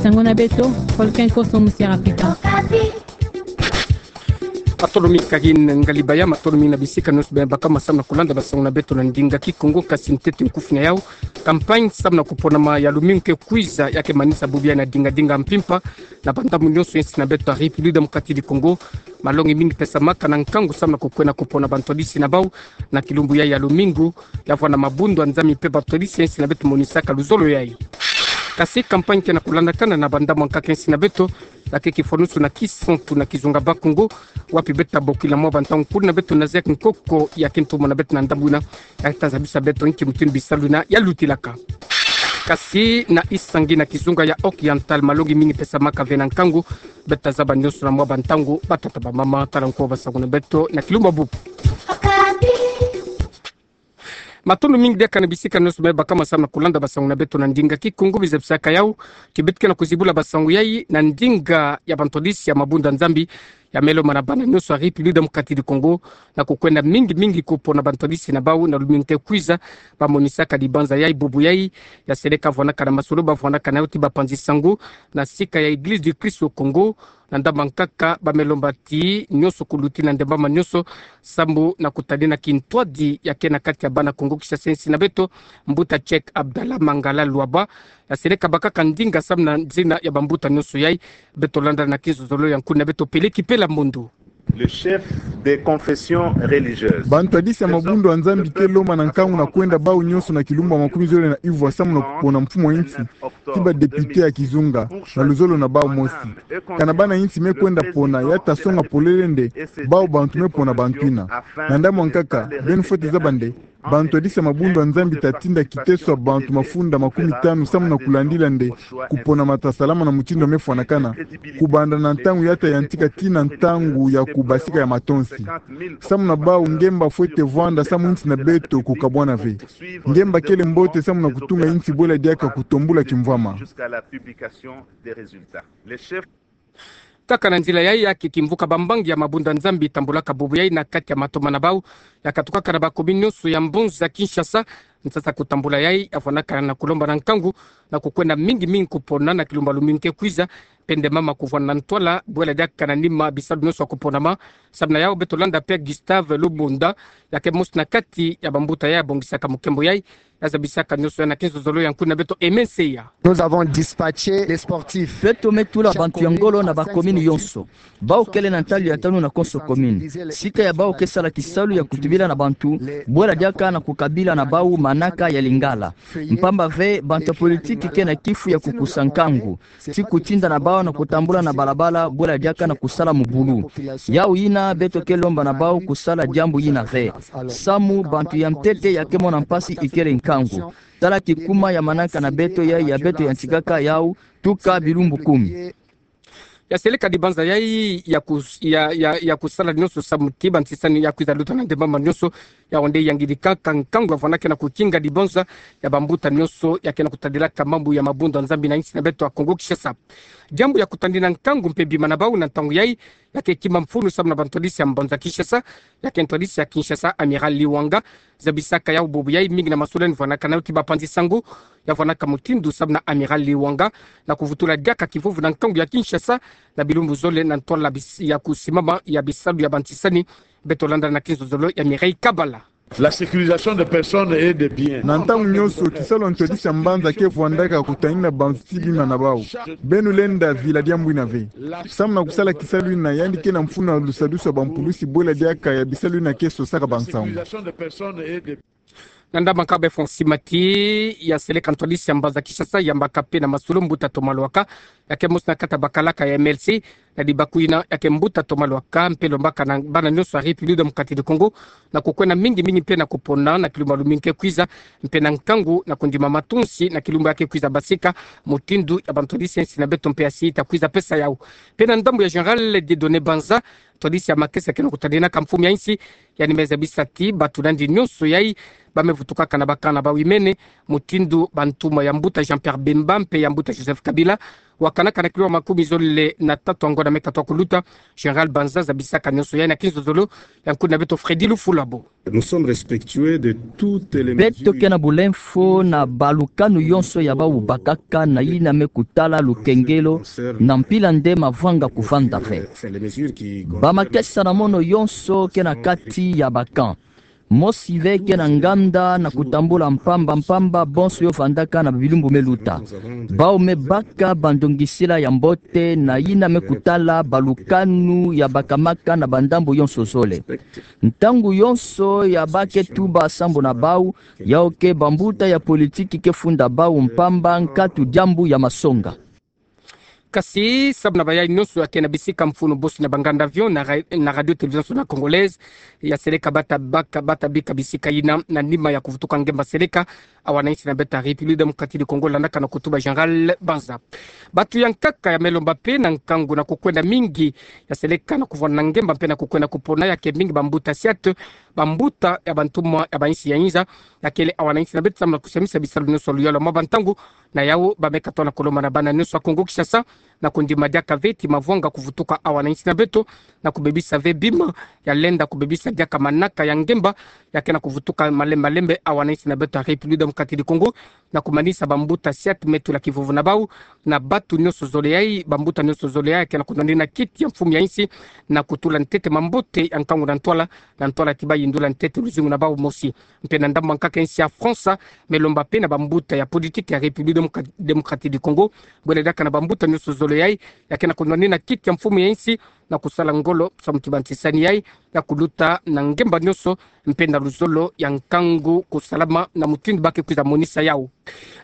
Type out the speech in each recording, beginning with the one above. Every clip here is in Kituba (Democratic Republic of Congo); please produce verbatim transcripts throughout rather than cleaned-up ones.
Sango na beto, Volcan Koso Musiara Pita. Matondo mingi kari ngalibaya, matondo mingi na bisika nyonso beno baka ma samu na kulanda basango na beto na ndinga Kikongo. Kasi ntete nkufi na yau, campagne samu na kuponama ya lumingu ke kwiza ya ke manisa bubu yayi na dingadinga mpimpa na bandambu nyonso ya insi na beto ya République Démocratique du Congo. Malongi mingi pesamaka na nkangu samu na kukwenda kupona bantwadisi na bau na kilumbu yayi ya lumingu, ya vwanda mabundu ya Nzambi mpe bantwadisi ya insi na beto monisaka luzolo yayi. Kasi campagne ke na kulandakana na bandambu ya nkaka ya insi na beto, ya ke kifwanusu na Kisantu na kizunga Bas-Congo, wapi beto ta bokila mwa bantangu nkulu na beto na zeki nkoko ya kintumo na beto na ndambu yina, ya ta zabisa beto inki mutindu bisalu yina ya lutilaka. Kasi na Isangi na kizunga ya Oriental, malongi mingi pesamaka ve na nkangu, beto ta zaba nyonso na mwa bantangu, batata, bamama, tala nko basango na beto na kilumbu ya bubu. Matondo mingi diaka na bisika nyonso beno baka ma samu na kulanda basango na beto na ndinga Kikongo. Bizabisaka yau ti beto ke na kuzibula basango yayi na ndinga ya bantwadisi ya mabundu ya Nzambi ya melo mana bana nyonso ya République Démocratique du Congo, na kukwenda mingi mingi kupona bantwadisi na bau na lumingu ke kwiza. Bamonisaka dibanza yayi bubu yayi, ya seleka vwandaka na masolo bavwandaka na yau ti bapanzi sango na sika ya Église du Christ au Congo, na ndambu ya nkaka, bamelo mba ti nyonso kuluti na ndembama nyonso samu na kutadina kintwadi ya ke na kati ya bana Kongo Kinshasa ya insi na beto, mbuta Cheikh Abdallah Mangala Luaba, ya seleka bakaka ndinga samu na nzina ya bambuta nyonso yayi. Beto landa na kinzozolo ya nkulu na beto Peleki Pela Mbundu. Le chef des confessions religieuses. Bantwadisi ya mabundu ya Nzambi ke lomba na nkangu na kwenda bau nyonso na kilumbu ya makumi zole na ivwa samu na kupona mfumu ya insi ti badéputé ya kizunga na luzolo na bau mosi. Kana bana insi me kwenda pona, ya ta songa polele nde bau bantu me pona bantu yina. Na ndambu ya nkaka, beno fwete zaba nde bantwadisi ya mabundu ya Nzambi ta tinda kiteso ya bantu mafunda makumi tanu samu na kulandila nde kuponama ta salama na mutindu me fwanakana, kubanda na ntangu ya ta yantika tii na ntangu ya kubasika ya matonsi. Samu na bau, ngemba fwete vwanda samu insi na beto kukabwana ve. Ngemba kele mbote samu na kutunga insi bwela diaka kutombula kimvwama. Kaka na nzila yayi, ya ke kimvuka bambangi ya mabundu ya Nzambi tambulaka bubu yayi na kati ya matoma na bau, ya katukaka na bakomini nyonso ya mbonza Kinshasa. Nsasa kutambula yayi, ya vwandaka na kulomba na nkangu na kukwenda mingi mingi kupona na kilumbu ya lumingu ke kwiza, mpe nde mama kuvwanda na ntwala bwela diaka na nima bisalu nyonso ya kuponama. Samu na yau, beto landa Père Gustave Lubunda, ya ke mosi na kati ya bambuta yayi ya bongisaka mukembo yayi, ya zabisaka nyonso yayi na kinzozolo ya nkulu na beto Aimé Nseya. Nous avons dispatché les sportifs. Beto me tula bantu ya ngolo na bakomini yonso. Bau kele na ntalu ya tanu na konso komini. Sika ya bau ke sala kisalu ya kutubila na bantu, bwela diaka na kukabila na bau manaka ya Lingala. Mpamba ve, bantu ya politiki ke na kifu ya kukusa nkangu ti kutinda na bau na kutambula na balabala, bwela diaka na kusala mubulu. Yau yina beto ke lomba na bau kusala diambu yina ve. Samu bantu ya ntete ya ke mona mpasi ikele nkangu. Tala kikuma ya manaka na beto yayi ya beto yantikaka yau tuka bilumbu kumi. Ya seleka dibanza yayi ya kus-, ya, ya, ya kusala nyonso samu ti bantisani ya kwiza luta na ndembama nyonso. Yau nde yangidika ka nkangu ya vwandaka na kukinga dibanza ya bambuta nyonso ya ke na kutadilaka mambu ya mabundu ya Nzambi na insi na beto ya Kongo Kinshasa. Diambu ya kutadina nkangu mpe bima na bau na ntangu yayi, ya ke kima mfunu samu na bantwadisi ya mbanza Kinshasa, ya ke ntwadisi ya Kinshasa, Amiral Liwanga, zabisaka yau bubu yayi mingi na masolo yandi vwandaka na yau ti bapanzi sango, ya vwandaka mutindu samu na Amiral Liwanga na kuvutula diaka kivuvu na nkangu ya Kinshasa na bilumbu zole na ntwala bis-, ya kusimama ya bisalu ya bantisani. Beto landa na kinzozolo ya Mireille Kabala. La sécurisation de personnes et de biens. Na ntangu nyonso, kisalu ya ntwadisi ya mbanza ke vwandaka kutadina bantu ti bima na bau. Beno lenda vila diambu yina ve. Samu na kusala kisalu yina, yandi ke na mfunu ya lusadusu ya bampulusi bwela diaka ya bisalu yina ke sosaka bansangu. Na ndambu ya nkaka, beno fwa sima ti ya seleka ntwadisi ya mbanza Kinshasa yambaka mpe na masolo mbuta Thomas Lwaka, ya ke mosi na kati ya bakalaka ya M L C, na dibaku yina ya ke mbuta Thomas Lwaka mpe lombaka na bana nyonso ya République Démocratique du Congo na kukwenda mingi mingi mpe na kupona na kilumbu ya lumingu ke kwiza, mpe na nkangu na kundima matonsi na kilumbu ya ke kwiza basika, mutindu ya bantwadisi ya insi na beto mpe ya sita kwiza pesa yau. Mpe na ndambu ya Général Dieudonné Banza, ntwadisi ya makesa ke na kutadinaka mfumu ya insi, yandi me zabisa ti bato na yandi nyonso yayi ba me vutukaka na ba camp na bau imene, mutindu bantumwa ya mbuta Jean-Pierre Bemba mpe ya mbuta Joseph Kabila, wakanaka na kilo makumi zole na tatu ya ngona me katoa kuluta. Général Banza zabisaka nyonso yayi na kinzozolo ya nkuna beto Freddy Lufulabo. Nous sommes respectueux de toutes les mesures. Beto ke na bulemfo na balukanu yonso ya bau bakaka na yina me kutala lukengelo, na mpila nde mavwanga kuvanda ve. Ba makesa na mono yonso ke na kati ya ba camp. Mosi ve ke na nganda na kutambula mpamba mpamba bonso yo vandaka na bilumbu me luta. Bau me baka bandongisila ya mbote na yina me kutala balukanu ya bakamaka na bandambu yonso zole. Ntangu yonso ya ba ke tuba sambu na bau, yau ke bambuta ya politiki ke funda bau mpamba nkatu diambu ya masonga. Kasi sambu na bayayi nyonso ya ke na bisika mfunu bosi na ba nganda avion na ra-, na Radio Télévision Nationale Congolaise, ya seleka bata baka, bata bika bisika yina na nima ya kuvutuka ngemba seleka, awa na insi na beto ya République Démocratique du Congo, landaka na kutuba Général Banza. Batu ya nkaka ya me lomba mpe na nkangu na kukwenda mingi ya seleka na kuvwanda na ngemba mpe na kukwenda kupona, ya ke mingi bambuta siat, bambuta ya bantumwa ya ba insi ya inza, ya kele awa na insi na beto sambu na kusamisa bisalu nyonso luyolo mwa bantangu, na yau ba me katola kolomba na bana nyonso ya Kongo Kinshasa, na kundima diaka ve ti mavwanga kuvutuka awa na insi na beto, na kubebisa ve bima ya lenda kubebisa diaka manaka ya ngemba, ya ke na kuvutuka malembe malembe awa na insi na beto ya République Démocratique du Congo, na kumanisa bambuta siat me tula kivuvu na bau, na batu nyonso zole yayi, bambuta nyonso zole yayi ya ke na kunwanina kiti ya mfumu ya insi, na kutula ntete mambote ya nkangu na ntwala, na ntwala ti ba yindula ntete luzingu na bau mosi. Mpe na ndambu ya nkaka insi ya France, me lomba mpe na bambuta ya politiki ya République Démocra-, Démocratique du Congo, bwele diaka na bambuta nyonso zole yayi ya ke na kunwanina kiti ya mfumu ya insi, na kusala ngolo samu ti bantisani yayi ya kuluta na ngemba nyonso, mpe na luzolo ya nkangu kusalama na mutindu ba ke kwiza monisa yau.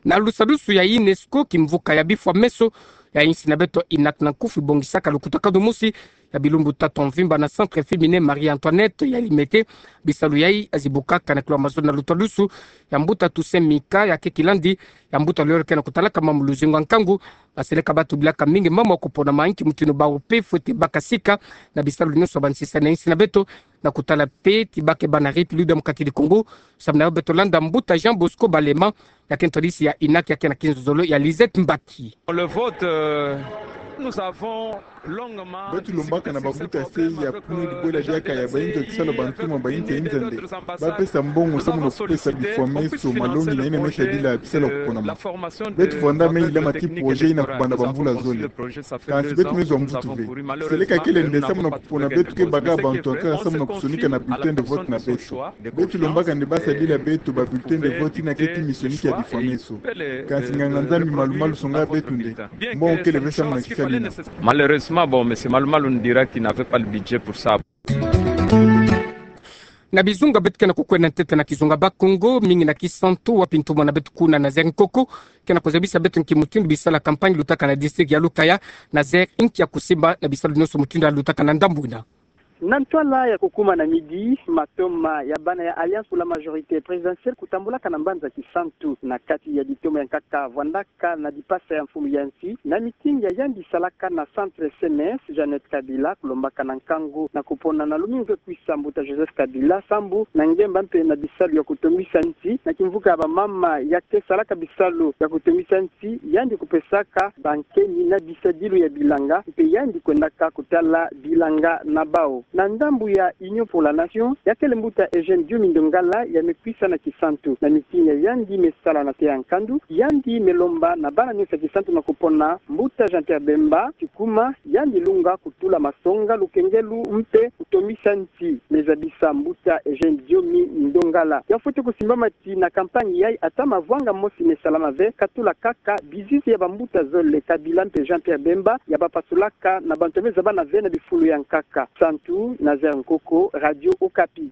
Na lusadusu ya UNESCO, kimvuka ya bifwa meso ya insi na beto INAK na nkufi bongisaka lukutakanu mosi ya bilumbu tatu ya mvimba na Centre Féminin Marie Antoinette ya Limete. Bisalu yayi ya zibukaka na kilo ya mazolo na lutadusu ya mbuta Toussaint Mika, ya ke kilandi ya mbuta lolo ke na kutalaka mambu luzingu ya nkangu, ba seleka batubilaka mingi mambu ya kupona ma nki mutindu bau mpe fwete baka sika na bisalu nyonso ya bantisani ya insi na beto, na kutala mpe ti ba ke bâ na République Démocratique du Congo, samu na yau beto landa mbuta Jean Bosco Balema, ya ke ntwadisi ya INAK, ya ke na kinzozolo ya Lisette Mbaki. Le vote, euh, nous avons longuement discuté sur ce programme. Beto lombaka na bambuta se ya kuni dibwela diaka ya bayinzo ya kisalu ya bantumwa ba inza inza nde ba pesa mbongo samu na kupesa bifwa meso, malongi na yina me sadila bisalu ya kuponama. Beto vwanda me ila ma ti projet yina kubanda bamvula zole. Kansi beto me zwa mvutu ve. Seleka kele nde samu na kupona beto ke baka bantu ya nkaka samu na kusonika na bulletin de vote na beto. Beto lombaka nde ba sadila beto ba bulletin de vote yina ke ti mi sonika ya bifwa meso. Kansi nganga-Nzambi malu-malu songa beto nde mbongo kele ve samu na kisala yina. Malheureusement, bon, monsieur Malu-Malu nous dira qu'il n'avait pas le budget pour ça. Na bizunga beto ke na kukwenda ntete na kizunga Bakongo, mingi na Kisantu, wapi ntumwa na beto kuna Nazaire Nkoko ke na kuzabisa beto nki mutindu bisalu ya campagne lutaka na district ya Lukaya. Nazaire, nki ya kusimba na bisalu nyonso mutindu ya lutaka na ndambu yina? Na ntwala ya kukuma na midi, matoma ya bana ya Alliance pour la majorité présidentielle kutambulaka na mbanza Kisantu. Na kati ya ditoma ya nkaka vwandaka na dipasa ya mfumu ya nsi, na meeting ya yandi salaka na centre C N S, Jeannette Kabila, kulombaka na nkangu na kupona na lumingu ekwisa mbuta Joseph Kabila sambu na ngemba mpe na bisalu ya kutongisa nsi. Na kimvuka ya bamama ya ke salaka bisalu ya kutongisa nsi, yandi kupesaka bankeni na bisadilu ya bilanga, mpe yandi kwendaka kutala bilanga na bau. Na ndambu ya Union pour la Nation, ya kele mbuta Eugène Diomi Ndongala ya me kwisa na Kisantu. Na meeting ya yandi me sala na Teya Nkandu, yandi me lomba na bana nyonso ya Kisantu na kupona mbuta Jean-Pierre Bemba, ti kuma yandi lunga kutula masonga, lukengelu mpe kutongisa nsi, me zabisa mbuta Eugène Diomi Ndongala. Ya fwete kusimbama ti na campagne yayi, ata mavwanga mosi me salama ve, katula kaka bizizi ya bambuta zole, Kabila mpe Jean-Pierre Bemba, ya bapasulaka na bantu ya me zabana ve na bifulu ya nkaka. Kisantu, Nazaire Nkoko, Radio Okapi.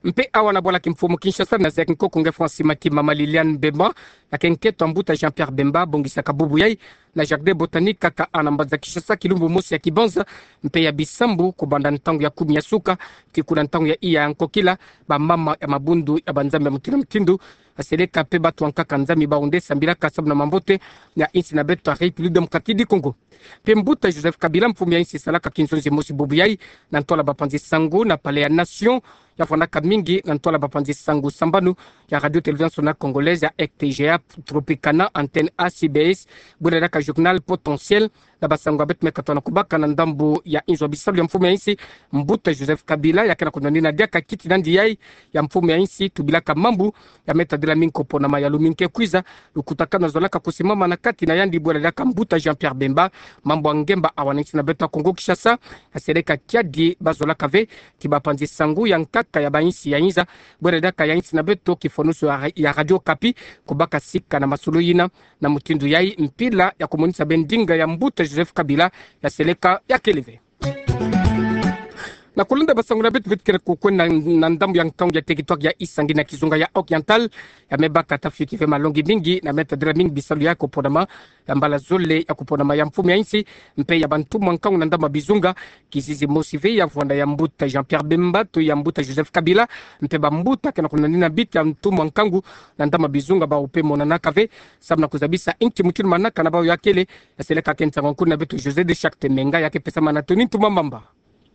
Mpe awa na bwala kimfumu Kinshasa, Nazaire Nkoko, nge Francis Maki, mama Liliane Bemba, ya ke nkento ya mbuta Jean-Pierre Bemba, bongisaka bubu yayi na jardin botanique kaka na mbanza Kinshasa, kilumbu mosi ya kibanza mpe ya bisambu kubanda ntangu ya kumi ya suka ti kuna ntangu ya iya ya nkokila. Bamama ya mabundu ya banzambi ya mutindu na mutindu Aseleka pe batu ankaka nzami bawu nde sambilaka samu na mambote ya insi na beto ya République Démocratique du Congo. Pe mbuta Joseph Kabila, mfumu ya insi, salaka kinzonzi mosi bubu yayi na ntwala bapanzi sango na Palais ya Nation, ya vwandaka mingi na ntwala bapanzi sango sambanu ya Radio Télévision Nationale Congolaise ya R T G A, Tropicana, Antenne A C B S, bwela diaka journal Potentiel, na basango ya beto me katoa na kubaka na ndambu ya inzo ya bisalu ya mfumu ya insi. Mbuta Joseph Kabila, ya ke na kunwanina diaka kiti nandi yayi ya mfumu ya insi, tubilaka mambu ya me tadila mingi ko ponama ya lumbu nge ke kwiza, lukutakanu azolaka kusimama na kati na yandi bwela diaka mbuta Jean-Pierre Bemba, mambu ya ngemba awa na insi na beto ya Congo Kinshasa. Aseleka kiadi bazolaka ve ti bapanzi sango ya nkaka ya bainsi ya inza, bwela diaka ya insi na beto, kifonusu ya, ya Radio Okapi, kubaka sika na masolo yina. Na mutindu yayi, mpila ya kumonisa ve ndinga ya mbuta Joseph Kabila, ya seleka ya kele ve. Na kulenda basango na beto, beto ke na kukwenda na, na ndambu ya nkangu ya territoire ya Isangi na kizunga ya Oriental, ya me baka tafioti ve malongi mingi, na me tadila mingi bisalu ya kuponama, ya mbala zole ya kuponama ya mfumu ya insi, mpe ya bantumwa nkangu na ndambu ya bizunga. Kizizi mosi ve ya vwanda ya mbuta Jean-Pierre Bemba to ya mbuta Joseph Kabila, mpe bambuta ke na kunwanina bita ya ntumwa nkangu na ndambu ya bizunga, bawu pe monanaka ve samu na kuzabisa inki mutindu manaka na bawu ya kele. Ya seleka ke nsangu ya nkulu na beto José de Charte Menga, ya ke pesama na Tony Ntumwa Mamba.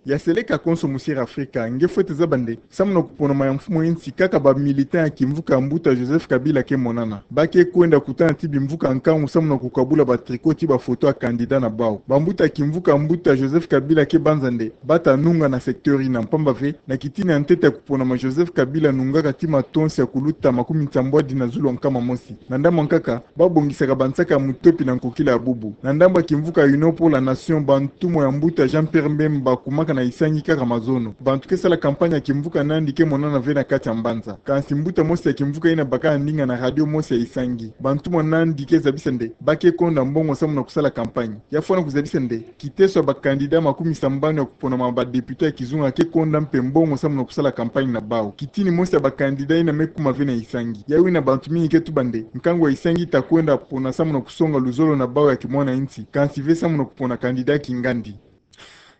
Ya seleka konso, Monsieur Afrika, nge fwete zaba nde samu na kuponama ya mfumu ya insi, kaka ba militant ya kimvuka ya mbuta Joseph Kabila ke monana. Ba ke kwenda kutana ti bimvuka nkangu samu na kukabula ba tricot ti ba photo ya candidat na bawu. Bambuta ya kimvuka ya mbuta Joseph Kabila ke banza nde ba ta nunga na secteur yina, mpamba ve na kitini ya ntete ya kuponama, Joseph Kabila anungaka ti matonsi ya kuluta makumi nsambwadi na zulu ya nkama mosi. Na ndambu ya nkaka, ba bongisaka bansaka ya mutopi na nkokila ya bubu. Na ndambu ya kimvuka Union pour la Nation, bantumwa ya mbuta Jean-Pierre Bemba bakumaka na Isangi kaka mazono. Bantu ke sala campagne ya kimvuka nandi ke monana ve na kati ya mbanza. Kansi mbuta mosi ya kimvuka yina abaka ndinga na radio mosi ya Isangi. Bantumwa nandi ke zabisa nde ba ke konda mbongo samu na kusala campagne. Ya fwana kuzabisa nde kiteso ya ba candidat makumi sambanu ya kuponama ba député ya kizunga ke konda mpe mbongo samu na kusala campagne na bawu. Kitini mosi ya ba candidat yina me kuma ve na Isangi. Yayi yina bantu mingi ke tuba nde nkangu ya Isangi ta kwenda pona samu na kusonga luzolo na bawu ya kimwana insi, kansi ve samu na kupona candidat kingandi.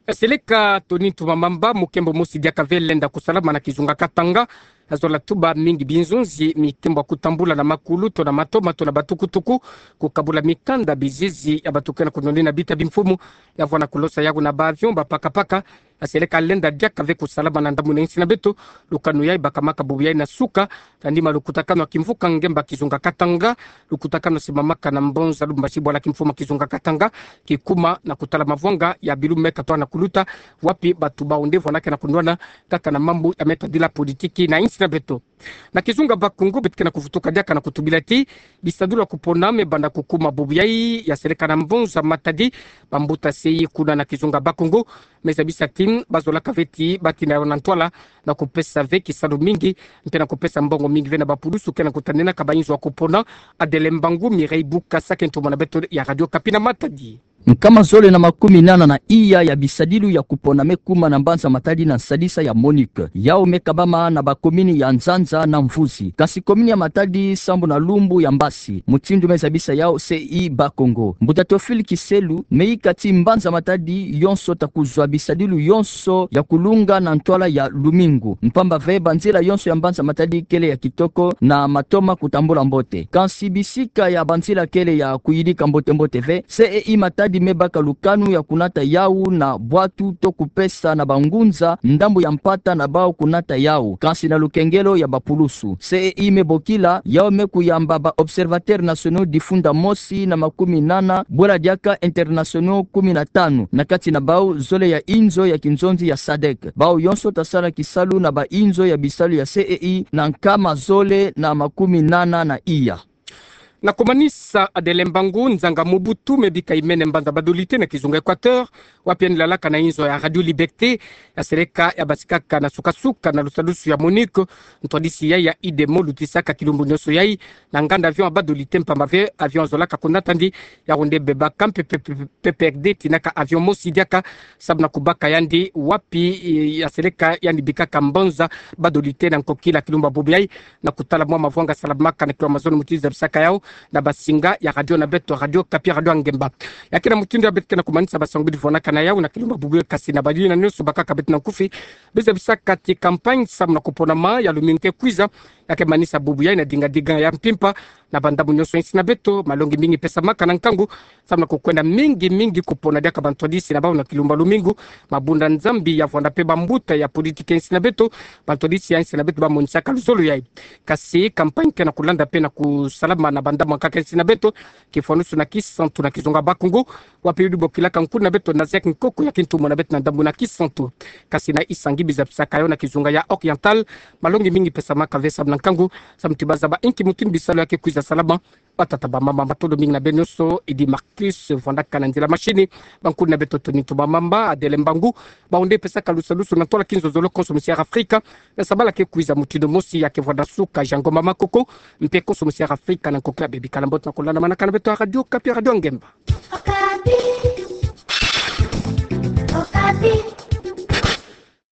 Ya seleka Tony Ntumwa Mamba. Mukembo mosi diaka ve lenda kusalama na kizunga Katanga. Azola tuba mingi binzonzi mi kembo ya kutambula na makulu to na matoma to na batukutuku, kukabula mikanda, bizizi ya bato ke na kunwanina bita bimfumu, ya vwanda kulosa yawu na ba avion, ba pakapaka. Ya seleka lenda diaka ve kusalama na ndambu na insi na beto. Lukanu yayi bakamaka bubu yayi na suka, tandima lukutakanu ya kimvuka ngemba kizunga Katanga, lukutakanu simamaka na Mbanza Lumumbashi, bwala kimfumu ya kizunga Katanga, kikuma na kutala mavwanga ya bilumbu me katoa na kuluta, wapi bato bawu nde vwandaka na kunwana kaka na mambu ya me tadila politiki na insi na beto. Na kizunga Bas-Congo, beto ke na kuvutuka diaka na kutubila ti bisadulu ya kupona me banda kukuma bubu yayi. Ya seleka na Mbanza Matadi, bambuta C I kuna na kizunga Bas-Congo me zabisa ti bazolaka ve ti batina yawu na ntwala na kupesa ve kisalu mingi mpe na kupesa mbongo mingi ve na bapulusu ke na kutaninaka bainzo ya kupona. Adèle Mbangou, Mireille Bukasa ke ntumwa na beto ya Radio Okapi na Matadi. Nkama zole na makumi nana na iya ya bisadilu ya kupona me kuma na mbanza Matadi na nsadisa ya MONUC. Yawu me kabama na bakomini ya Nzanza na Mvuzi. Kansi komini ya Matadi sambu na lumbu ya mbasi. Mutindu me zabisa yawu C I Bas-Congo, mbuta Théophile Kiselu me yika ti mbanza Matadi yonso ta kuzwa bisadilu yonso ya kulunga na ntwala ya lumingu, mpamba ve banzila yonso ya mbanza Matadi kele ya kitoko na matoma kutambula mbote. Kansi bisika ya banzila kele ya kuyidika mbote-mbote ve. C E I Matadi me baka lukanu ya kunata yawu na bwatu to kupesa na bangunza ndambu ya mpata na bawu kunata yawu, kansi na lukengelo ya bapulusu. C E I me bokila, yawu me kuyamba ba observateurs nationaux difunda mosi na makumi nana, bwela diaka internationaux kumi na tanu, na kati na bawu zole ya inzo ya kinzonzi ya sadec. Bawu yonso ta sala kisalu na ba inzo ya bisalu ya C E I na nkama zole na makumi nana na iya. Na kumanisa, Adele Mbangu, nzanga Mobutu me bika imene mbanza Badolite na kizunga Equateur, wapi yandi lalaka na inzo ya Radio Liberté, ya seleka ya basikaka na suka-suka na lusadusu ya MONUC, ntwadisi ya, ya I D M O lutisaka kilumbu nionso yai na nganda avion ya Badolite mpamba ve avion azolaka kunata yandi, yawu nde bebaka mpe pe, pe, pe, P P R D tinaka avion mosi diaka, samu na kubaka yandi wapi, eh, ya seleka yandi bikaka mbanza Badolite na nkokila kilumbu bubu yai, na kutala mwa mavwanga salamaka na kilo mazono muti zabisaka yawu, na basinga ya radio na beto, Radio Okapi, Radio Angemba. Ya kina mutindu ya beto kina kumanisa basangwidi vwanakana yau na kilumba bubu kasi na bayuina nyonso bakaka beto na nkufi. Biza bisaka ti campagne samu na kupona ma ya lumingu ke kwiza, ya ke manisa bubu ya ina dingadinga ya mpimpa na bandambu nyonso ya nsi na beto, malongi mingi pesamaka na nkangu, samu na kukwenda mingi mingi kupona diaka bantwadisi na bau na kilumba lumingu. Mabunda Nzambi ya vwanda pe bambuta ya politiki ya nsi na beto, bantwadisi ya nsi na beto bamonisaka luzolo yai. Kasi campagne ke na kulanda pe na kusalama na bandambu ankaka ya nsi na beto, kifwanusu na Kisantu na kizunga Bakongo, wapi udi bokilaka nkuna beto na Zek Nkoko ya kintumo na beto na ndambu na Kisantu. Kasi na Isangi biza bisaka yo na kizunga ya Oriental, malongi mingi pesamaka ve samu na nkangu, samu ti bazaba inki mutindu bisalu ya ke kwiza salama. Batata, bamama, matondo mingi na beno nyonso, Idi Marcus vwandaka na nzila machine, bankuna beto Tony Ntumba Mamba, Adele Mbangu, bawu nde pesaka lusalusu na ntwala kinzozolo konso musi Air Afrika, na sabala ke kwiza mutindu mosi ya ke vwanda suka Jango Mama Koko, mpe konso musi Air Afrika na nkokila bebi. Kala mbote na kulanda manaka na beto ya Radio Okapi, Radio Angemba. Okapi. Okapi.